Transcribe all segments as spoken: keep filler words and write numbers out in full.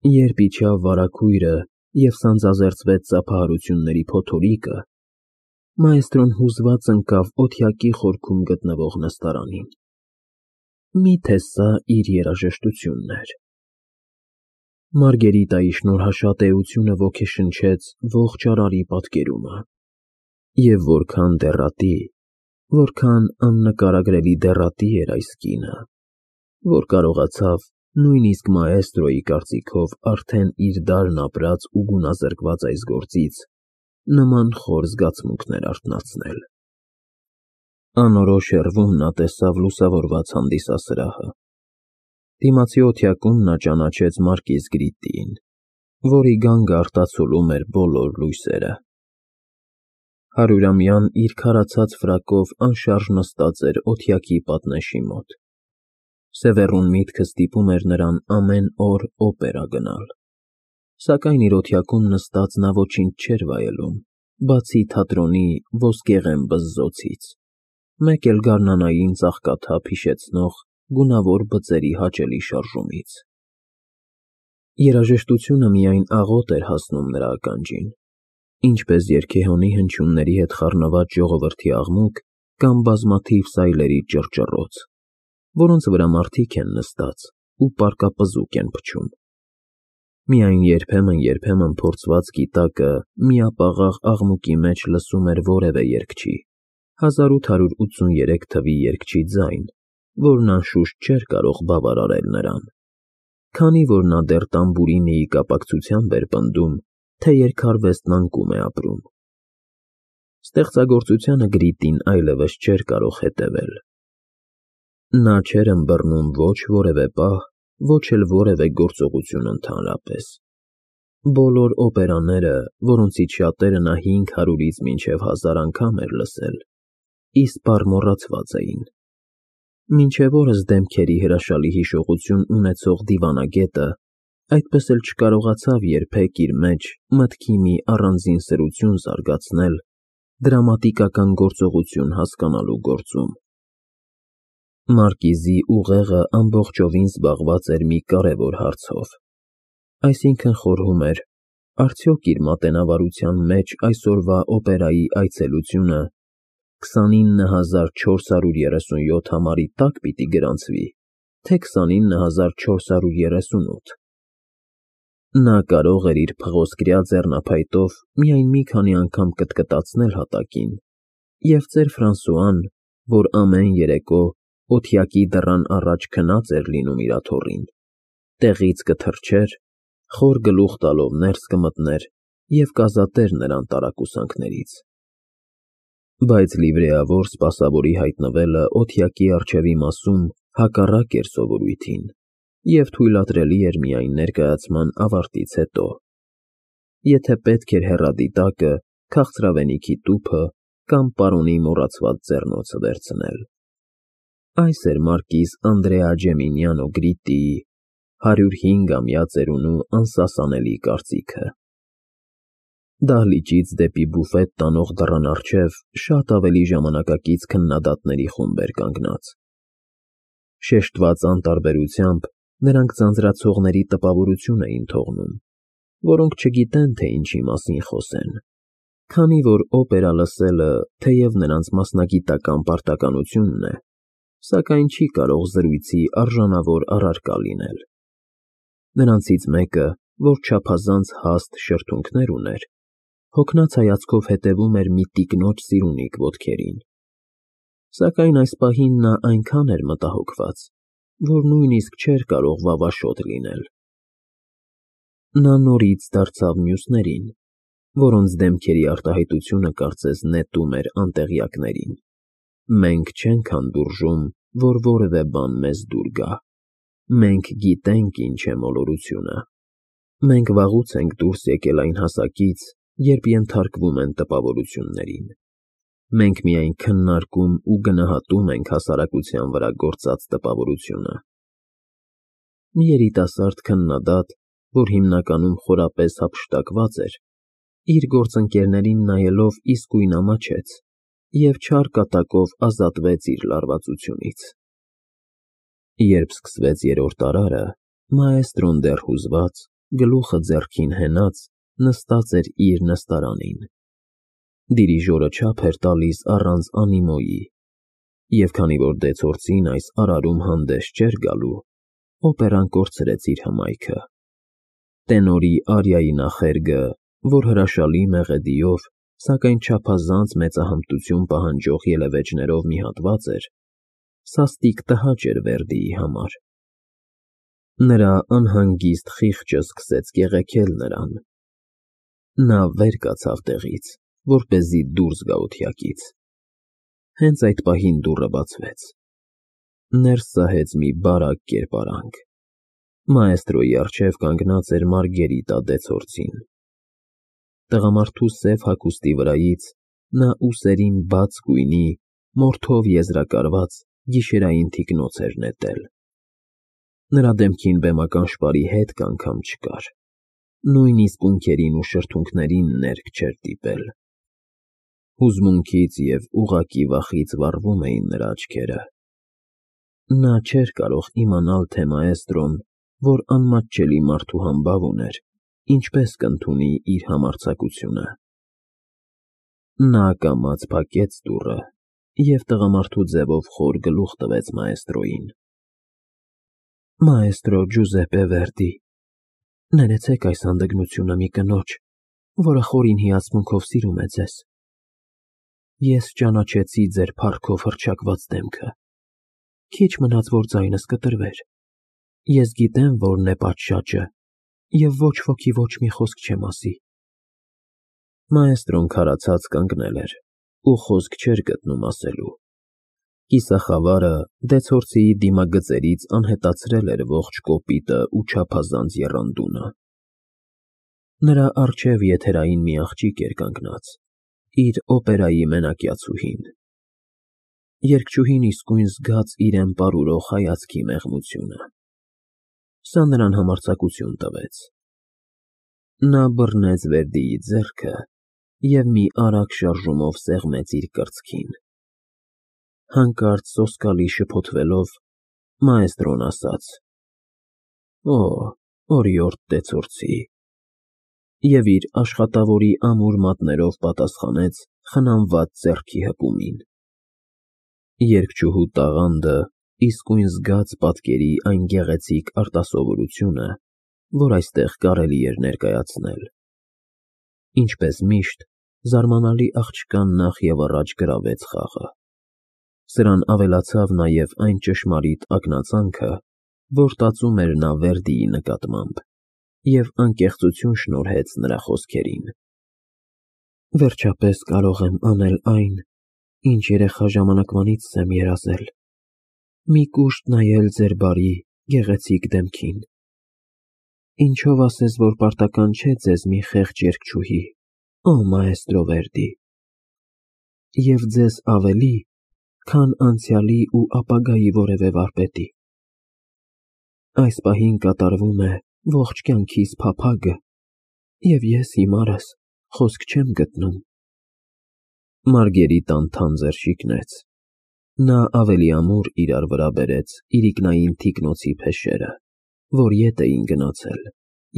Երբ իջավ վարագույրը և սանձազերծվեց ծափահարությունների փոթորիկը, մաէստրոն հուզված ընկավ օդյակի խորքում գտնվող նստարանին. մի՞թե սա իր երաժշտությունն էր։ Մարգերիտայի շնորհաշատեությունը ոգեշնչեց ողջ արարի պատկերումը, և որքան դեռատի, որքան աննկարագրելի դեռատի էր այս կինը, որ կարողացավ նույնիսկ մաէստրոյի կարծիքով արդեն իր դարն ապրած ու գունազրկված այս գործից նման խոր զգացմունքներ արթնացնել։ Անորոշ հեռվում նա տեսավ լուսավորված հանդիսասրահը։ Դիմացի օդյակում նա ճանաչեց մարկիզ Գրիտիին, որի գանգը արտացոլում էր բոլոր լույսերը։ Հարյուրամյան իր քարացած ֆրակով անշարժ նստած էր օդյակի պատնեշի մոտ։ Սևեռուն միտքը ստիպում էր նրան ամեն օր օպերա գնալ, սակայն իր օդյակում նստած նա ոչինչ չէր վայելում, բացի թատրոնի ոսկեղեն բզզոցից, մեկ էլ գարնանային ծաղկաթափ հիշեցնող գունավոր բծերի հաճելի շարժումից։ Երաժշտությունը միայն աղոտ էր հասնում նրա ականջին, ինչպես երգեհոնի հնչյունների հետ խառնված ժողովրդի աղմուկ կամ բազմաթիվ սայլերի ճռճռոց, որոնց վրա մարդիկ են նստած ու պառկապզուկ են փչում։ Միայն երբեմն-երբեմն փորձված գիտակը միապաղաղ աղմուկի մեջ լսում էր որևէ երգչի, հազար ութ հարյուր ութսուներեք թվի երգչի ձայն, որն անշուշտ չէր կարող բավարարել նրան, քանի որ նա դեռ տամբուրինիի կապակցությամբ էր պնդում, թե երգարվեստն անկում է ապրում։ Ստեղծագործությանը Գրիտին այլևս չէր կարող հետևել։ Նա չէր ըմբռնում ոչ որևէ պահ, ոչ էլ որևէ գործողություն ընդհանրապես։ Բոլոր օպերաները, որոնցից շատերը նա հինգ հարյուրից մինչև հազար անգամ էր լսել, իսպառ մոռացված էին։ Մինչև օրս դեմքերի հրաշալի հիշողություն ունեցող դիվանագետը այդպես էլ չկարողացավ երբեք իր մեջ մտքի մի առանձին սրություն զարգացնել դրամատիկական գործողություն հասկանալու գործում։ Մարկիզի ուղեղը ամբողջովին զբաղված էր մի կարևոր հարցով, այսինքն խորհում էր, արդյոք իր մատենավարության մեջ այսօրվա օպերայի այցելությունը քսանինը հազար չորս հարյուր երեսունյոթ համարի տա՞կ պիտի գրանցվի, թե քսանինը հազար չորս հարյուր երեսունութ։ Նա կարող էր իր փղոսկրյա ձեռնափայտով միայն մի քանի անգամ կտկտացնել հատակին, և ծեր Ֆրանսուան, որ ամեն երեկո օդյակի դռան առաջ քնած էր լինում իր աթոռին, տեղից կթռչեր, խոր գլուխ տալով ներս կմտներ և կազատեր նրան տարակուսանքներից։ Բայց լիվրեավոր սպասավորի հայտնվելը օդյակի առջևի մասում հակառակ էր սովորույթին և թույլատրելի էր միայն ներկայացման ավարտից հետո, եթե պետք էր հեռադիտակը, քաղցրավենիքի տուփը կամ պարոնի մոռացված ձեռնոցը վերցնել։ Այս էր մարկիզ Անդրեա Ջեմինիանո Գրիտիի հարյուր հինգամյա ծերունու անսասանելի կարծիքը։ Դահլիճից դեպի բուֆետ տանող դռան առջև շատ ավելի ժամանակակից քննադատների խումբ էր կանգնած։ Շեշտված անտարբերությամբ նրանք ձանձրացողների տպավորություն էին թողնում, որոնք չգիտեն, թե ինչի մասին խոսեն, քանի որ օպերա լսելը թեև նրանց մասնագիտական պարտականությունն է, սակայն չի կարող զրույցի արժանավոր առարկա լինել։ Նրանցից մեկը, որ չափազանց հաստ շրթունքներ ուներ, հոգնած հայացքով հետևում էր մի տիկնոջ սիրունիկ ոտքերին, սակայն այս պահին նա այնքան էր մտահոգված, որ նույնիսկ չէր կարող վավաշոտ լինել։ Նա նորից դարձավ մյուսներին, որոնց դեմքերի արտահայտությունը կարծես նետում էր անտեղյակներին։ Մենք չենք հանդուրժում, որ որևէ բան մեզ դուր գա։ Մենք գիտենք ինչ է մոլորությունը։ Մենք վաղուց ենք դուրս եկել այն հասակից, երբ ենթարկվում են տպավորություններին։ Մենք միայն քննարկում ու գնահատում ենք հասարակության վրա գործած տպավորությունը։ Մի երիտասարդ քննադատ, որ հիմնականում խորապես հափշտակված էր, իր գործընկերներին նայելով իսկույն ամաչեց և չար կատակով ազատվեց իր լարվածությունից։ Երբ սկսվեց երրորդ արարը, մաէստրոն դեռ հուզված, գլուխը ձեռքին հենած, նստած էր իր նստարանին։ Դիրիժորը չափ էր տալիս առանց անիմոյի, և քանի որ դեցորցին այս արարում հանդես չէր գալու, օպերան կորցրեց իր հմայքը։ Տենորի արիայի նախերգը, որ հրաշալի մեղեդիով, սակայն չափազանց մեծահմտություն պահանջող ելևէջներով մի հատված էր, սաստիկ տհաճ էր Վերդիի համար։ Նրա անհանգիստ խիղճը սկսեց կեղեքել նրան։ Նա վեր կացավ տեղից, որպեսզի դուրս գա օթյակից։ Հենց այդ պահին դուռը բացվեց։ Ներս սահեց մի բարակ կերպարանք։ Մաեստրոյի առջև կանգնած էր Մարգերիտա դեցորցին։ Տղամարդու սև հագուստի վրայից նա ուսերին բաց գույնի, մորթով եզրակարված գիշերային թիկնոց էր նետել։ Նրա դեմքին բեմական շպարի հետք անգամ չկար, նույնիսկ ունքերին ու շրթունքներին ներք չէր դիպել։ Հուզմունքից և ուղղակի վախից վառվում էին նրա աչքերը։ Նա չէր կարող իմանալ, թե մաեստրոն, որ անմատչելի մարդու համբավ ուներ, ինչպես կընդունի իր համարձակությունը։ Նա կամաց փակեց դուռը և տղամարդու ձևով խոր գլուխ տվեց մաեստրոյին։ Մաեստրո Ջուզեպպե Վերդի, ներեցեք այս հանդգնությունը մի կնոջ, որը խորին հիացմունքով սիրում է ձեզ։ Ես ճանաչեցի ձեր փառքով հռչակված դեմքը։ Քիչ մնաց, որ ձայնս կտրվեր։ Ես գիտեմ որն է պատշաճը, և ոչ ոքի ոչ մի խոսք չեմ ասի։ Մաեստրոն քարացած կանգնել էր ու խոսք չէր գտնում ասելու։ Կիսախավարը դեցորցիի դիմագծերից անհետացրել էր ողջ կոպիտը ու չափազանց եռանդունը։ Նրա առջև եթերային մի աղջիկ էր կանգնած, իր օպերայի մենակյացուհին։ Երգչուհին իսկույն զգաց իրեն պարուրող հայացքի մեղմությունը։ Սա նրան համարձակություն տվեց։ Նա բռնեց Վերդիի ձեռքը և մի արագ շարժումով սեղմեց իր կրծքին։ Հանկարծ սոսկալի շփոթվելով, մաեստրոն ասաց. «Օ, օրիորդ դեցորցի», և իր աշխատավորի ամուր մատներով պատասխանեց խնամված ձեռքի հպումին։ Երգչուհու տաղանդը իսկույն զգաց պատկերի այն գեղեցիկ արտասովորությունը, որ այստեղ կարելի էր ներկայացնել։ Ինչպես միշտ, զարմանալի աղջկան նախ և առաջ գրավեց խաղը։ Սրան ավելացավ նաև այն ճշմարիտ ակնածանքը, որ տածում էր նա Վերդիի նկատմամբ, և անկեղծություն շնորհեց նրա խոսքերին։ Վերջապես կարող եմ անել այն, ինչ երեխա ժամանակվանից եմ երազել, մի կուշտ նայել ձեր բարի, գեղեցիկ դեմքին։ Ինչով ասես, որ պարտական չէ ձեզ մի խեղճ երգչուհի, օ մաեստրո Վերդի, և ձեզ ավելի, քան անցյալի ու ապագայի որևէ վարպետի։ Այս պահին կատարվում է ողջ կյանքիս փափագը, և ես հիմարս խոսք չեմ գտնում։ Մարգերիտան թանձր շիկնեց։ Նա ավելի ամուր իրար վրա բերեց իրիկնային թիկնոցի փեշերը, որ ետ էին գնացել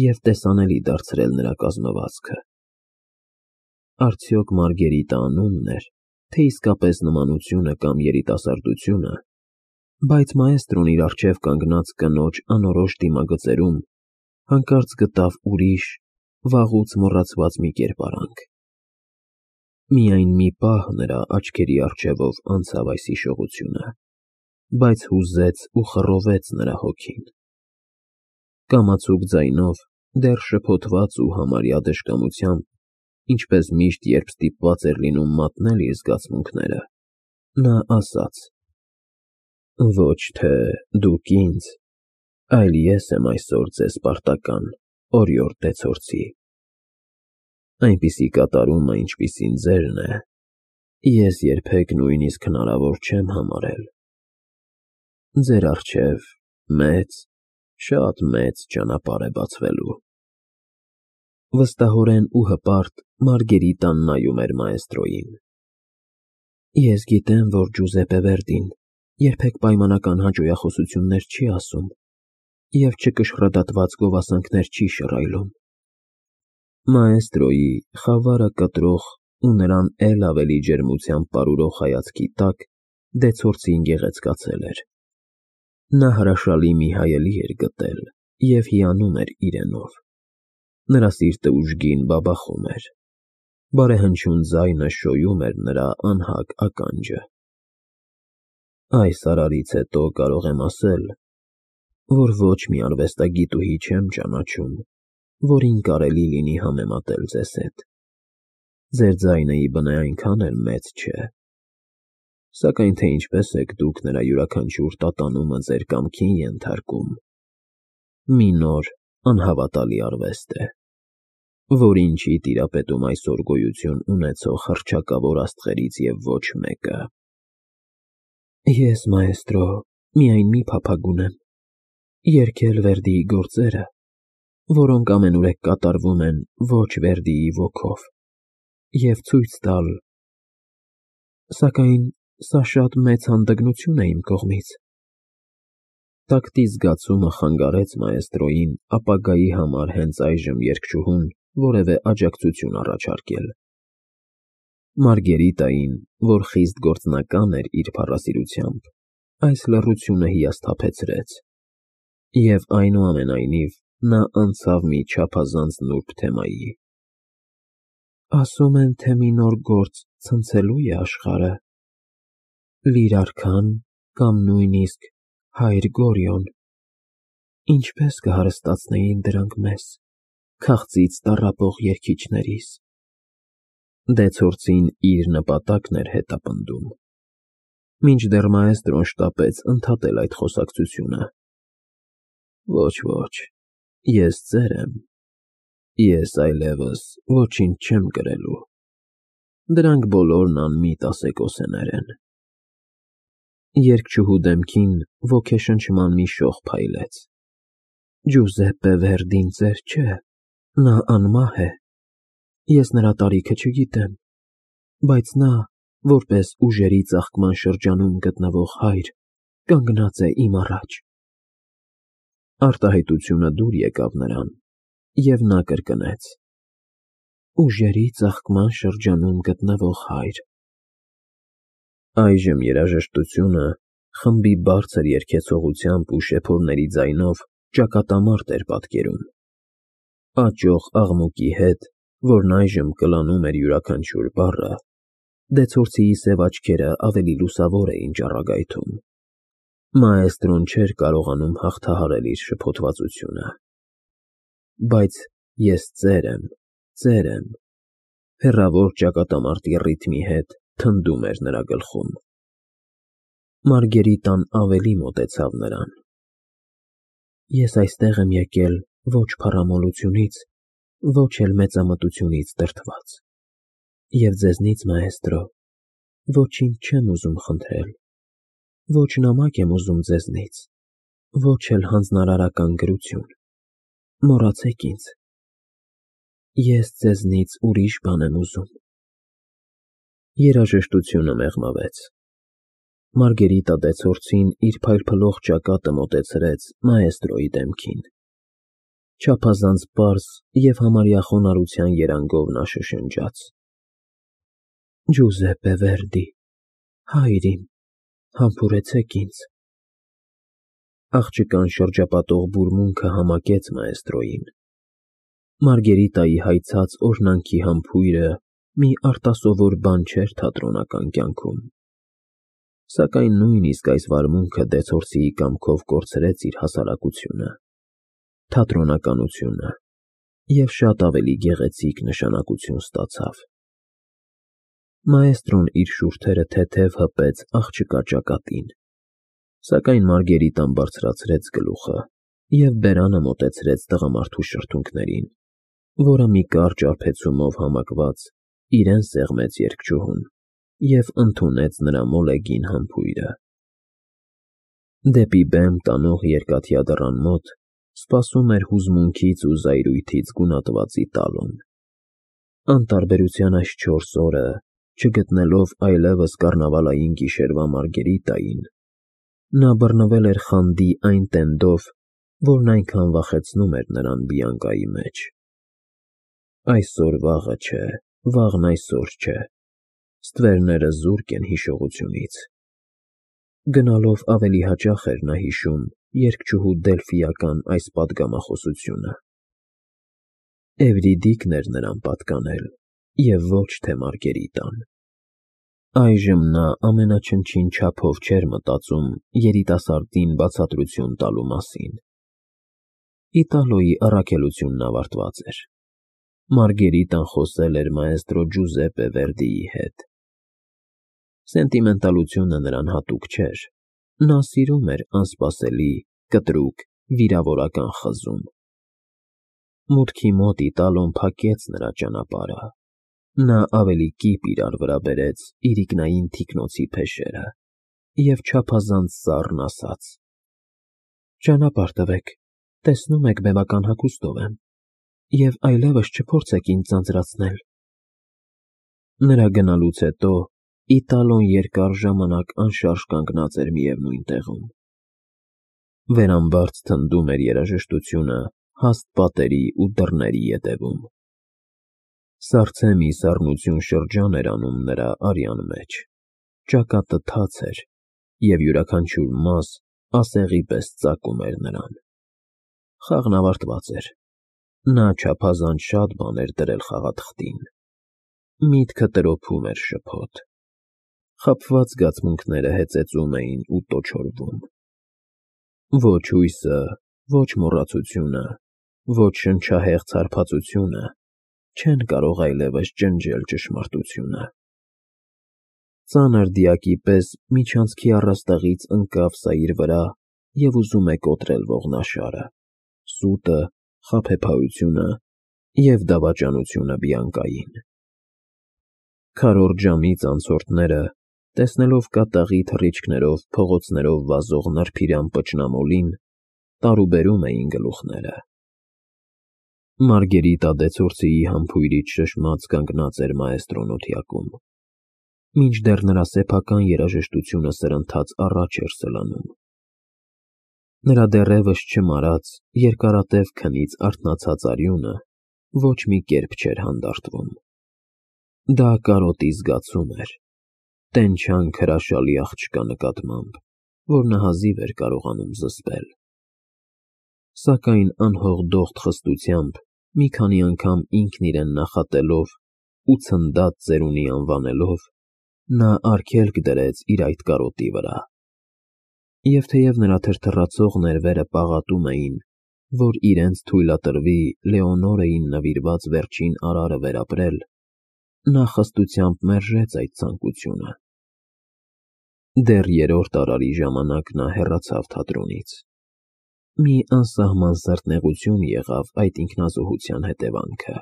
և տեսանելի դարձրել նրա կազմվածքը։ Արդյոք Մարգերիտը անունն էր, թե իսկապես նմանությունը կամ երիտասարդությունը, բայց մաեստրոն իր առջև կանգնած կնոջ անորոշ դիմագծերում հանկարծ գտավ ուրիշ, վաղուց մոռացված մի կերպարանք։ Միայն մի պահ նրա աչքերի առջևով անցավ այս հիշողությունը, բայց հուզեց ու խռովեց նրա հոգին։ Կամացուկ ձայնով, դեռ շփոթված ու համարյա դժկամությամբ, ինչպես միշտ, երբ ստիպված էր լինում մատնել իր զգացմունքները, նա ասաց. «Ոչ թե դուք ինձ, այլ ես եմ այսօր ձեզ պարտական, օրիորդ դեցորցի։ Այնպիսի կատարումը, ինչպիսին ձերն է, ես երբեք նույնիսկ հնարավոր չեմ համարել։ Ձեր առջև մեծ, շատ մեծ ճանապարհ է բացվելու»։ Վստահորեն ու հպարտ Մարգերիտան նայում էր մաեստրոյին։ Ես գիտեմ, որ Ջուզեպպե Վերդին երբեք պայմանական հաճոյախոսություններ չի ասում, և չկշռադատված գովասանքներ չի շռայլում։ Մաեստրոյի խավարը կտրող ու նրան էլ ավելի ջերմությամբ պարուրող հայացքի տակ դեցորցին գեղեցկացել էր։ Նա հրաշալի մի հայելի էր գտել և հիանում էր իրենով։ Նրա սիրտը ուժգին բաբախում էր։ Բարեհնչյուն ձայնը շոյում էր նրա անհագ ականջը։ Այս արարից հետո կարող եմ ասել, որ ոչ մի արվեստագիտուհի չեմ ճանաչում, որին կարելի լինի համեմատել ձեզ հետ։ Ձեր ձայնը ի բնե այնքան էլ մեծ չէ։ Սակայն թե ինչպես եք դուք նրա յուրաքանչյուր տատանումը ձեր կամքին ենթարկում, մի նոր, անհավատալի արվեստ է, որին չի տիրապետում այսօր գոյություն ունեցող հռչակավոր աստղերից և ոչ մեկը։ Ես, մաեստրո, միայն մի փափագ ունեմ՝ երգել Վերդիի գործերը, որոնք ամենուրեք կատարվում են ոչ Վերդիի ոգով, և ցույց տալ… Սակայն սա շատ մեծ հանդգնություն է իմ կողմից։ Տակտի զգացումը խանգարեց մաեստրոյին ապագայի համար հենց այժմ երգչուհուն որևէ աջակցություն առաջարկել։ Մարգերիտային, որ խիստ գործնական էր իր փառասիրությամբ, այս լռությունը հիասթափեցրեց, և այնուամենայնիվ նա անցավ մի չափազանց նուրբ թեմայի։ Ասում են, թե մի նոր գործ ցնցելու է աշխարհը, լիր արքան կամ նույնիսկ հայր Գորիոն, ինչպե՞ս կհարստացնեին դրանք մեզ, քաղցից տառապող երգիչներիս։ Դեցորցին իր նպատակն էր հետապնդում, մինչդեռ մաեստրոն շտապեց ընդհատել այդ խոսակցությունը։ Ոչ, ոչ, ես ծեր եմ, ես այլևս ոչինչ չեմ կրելու, դրանք բոլորն անմիտ ասեկոսեներ են։ Երգչուհու դեմքին ոգեշնչման մի շող փայլեց։ Ջուզեպպե Վերդին ծեր չէ, նա անմահ է, ես նրա տարիքը չգիտեմ, բայց նա, որպես ուժերի ծաղկման շրջանում գտնվող հայր, կանգնած է իմ առաջ։ Արտահայտությունը դուր եկավ նրան, և նա կրկնեց. Ուժերի ծաղկման շրջանում գտնվող հայր։ Այժմ երաժշտությունը խմբի բարձր երգեցողությամբ ու շեփորների ձայնով ճակատամարտ էր պատկերում։ Աճող աղմուկի հետ, որն այժմ կլանում էր յուրաքանչյուր բառը, դեցորցիի սև աչքերը ավելի լուսավոր էին ճառագայթում։ Մաեստրոն չէր կարողանում հաղթահարել իր շփոթվածությունը։ Բայց ես ծեր եմ, ծեր եմ, հեռավոր ճակատամարտի ռիթմի հետ թնդում էր նրա գլխում։ Մարգերիտան ավելի մոտեցավ նրան։ Ես այստեղ եմ եկել ոչ փառամոլությունից, ոչ էլ մեծամտությունից դրդված, և ձեզնից, մաեստրո, ոչինչ չեմ ուզում խնդրել, ոչ նամակ եմ ուզում ձեզնից, ոչ էլ հանձնարարական գրություն, մոռացեք ինձ, ես ձեզնից ուրիշ բան եմ ուզում։ Երաժշտությունը մեղմավեց։ Մարգերիտա դեցորցին իր փայլփլող ճակատը մոտեցրեց մաեստրոյի դեմքին։ Չափազանց պարզ և համարյա խոնարհության երանգով նա շշնջաց. Ջուզեպպե Վերդի, հայր իմ, համբուրեցեք ինձ։ Աղջկան շրջապատող բուրմունքը համակեց մաեստրոյին։ Մարգերիտայի հայցած օրհնանքի համբույրը մի արտասովոր բան չէր թատրոնական կյանքում։ Սակայն նույնիսկ այս վարմունքը դեցորցիի կամքով կորցրեց իր հասարակությունը, թատրոնականությունը և շատ ավելի գեղեցիկ նշանակություն ստացավ։ Մաեստրոն իր շուրթերը թեթև հպեց աղջկա ճակատին, սակայն Մարգերիտան բարձրացրեց գլուխը և բերանը մոտեցրեց տղամարդու շրթունքներին, որը մի կարճ արբեցումով համակված իրեն սեղմեց երգչուհուն և ընդունեց նրա մոլեգին համբույրը։ Դեպի բեմ տանող երկաթյա դռան մոտ սպասում էր հուզմունքից ու զայրույթից գունատված Իտալոն։ Անտարբերության այս չորս օրը, չգտնելով այլևս կառնավալային գիշերվա Մարգերիտային, նա բռնվել էր խանդի այն տենդով, որն այնքան վախեցնում էր նրան Բիանկայի մեջ։ Այսօր վաղը չէ, վաղն այսօր չէ, ստվերները զուրկ են հիշողությունից։ Գնալով ավելի հաճախ էր նա հիշում երգչուհու Դելֆիական այս պատգամախոսությունը։ Էվրիդիկն էր նրան պատկանել, և ոչ թե Մարգերիտան։ Այժմ նա ամենաչնչին չափով չէր մտածում երիտասարդին բացատրություն տալու մասին։ Իտալոյի առաքելությունն ավարտված էր։ Մարգերիտան խոսել էր մաեստրո Ջուզեպպե Վերդիի հետ։ Սենտիմենտալությունը նրան հատուկ չէր, նա սիրում էր անսպասելի, կտրուկ, վիրավորական խզում։ Մուտքի մոտ Իտալոն փակեց նրա ճանապարհը։ Նա ավելի կիպ իրար վրա բերեց իրիկնային թիկնոցի փեշերը և չափազանց սառն ասաց. «Ճանապարհ տվեք, տեսնում եք բեմական հագուստով եմ, և այլևս չփորձեք ինձ ձանձրացնել»։ Նրա գնալուց հետո Իտալոն երկար ժամանակ անշարժ կանգնած էր միևնույն տեղում։ Վերամբարձ թնդում էր երաժշտությունը հաստ պատերի ու դռների ետևում։ Սառցե մի սառնություն շրջան էր անում նրա արյան մեջ, ճակատը թաց էր, և յուրաքանչյուր մաս ասեղի պես ծակում էր նրան։ Խաղն ավարտված էր։ Նա չափազանց շատ բան էր դրել խաղաթղթին։ Միտքը տրոփում էր շփոթ։ Խաբված զգացմունքները հեծեծում էին ու տոչորվում։ Ոչ հույսը, ոչ մոռացությունը, ոչ շնչահեղձ հարբածությունը չեն կարող այլևս ջնջել ճշմարտությունը։ Ծանր դիակի պես միջանցքի առաստաղից ընկավ սա իր վրա և ուզում է կոտրել ողնաշարը, սուտը, խաբեբայությունը և դավաճանությունը Բիանկային։ Քառորդ ժամից անցորդները, տեսնելով կատաղի թռիչքներով փողոցներով վազող նրբիրան պճնամոլին, տարուբերում էին գլուխները։ Մարգերիտա դեցորցիի համբույրից շշմած կանգնած էր մաեստրոն օթյակում, մինչդեռ նրա սեփական երաժշտությունը սրընթաց առաջ էր սլանում։ Նրա դեռևս չմարած, երկարատև քնից արթնացած արյունը ոչ մի կերպ չէր հանդարտվում։ Դա կարոտի զգացում էր, տենչանք հրաշալի աղջկա նկատմամբ, որ նա հազիվ էր կարողանում զսպել։ Սակայն անհող դողդ խստությամբ, մի քանի անգամ ինքն իրեն նախատելով ու ցնդած ծերունի անվանելով, նա արգելք դրեց իր այդ կարոտի վրա։ Եվ թեև նրա թրթռացող ներվերը պաղատում էին, որ իրենց թույլատրվի Լեոնորային նվիրված վերջին արարը վերապրել, նա խստությամբ մերժեց այդ ցանկությունը։ Դեռ երրորդ արարի ժամանակ նա հեռացավ թատրոնից։ Մի անսահման սրտնեղություն եղավ այդ ինքնազոհության հետևանքը։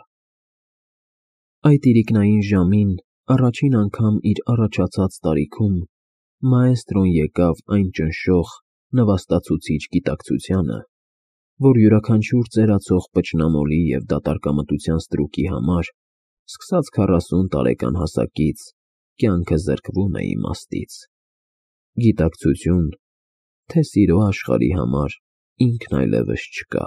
Այդ իրիկնային ժամին առաջին անգամ իր առաջացած տարիքում մաեստրոն եկավ այն ճնշող, նվաստացուցիչ գիտակցությանը, որ յուրաքանչյուր ծերացող պճնամոլի և դատարկամտության ստրուկի համար, սկսած քառասուն տարեկան հասակից, կյանքը զրկվում է իմաստից։ Գիտակցություն, թե սիրո աշխարհի համար ինքն այլևս չկա։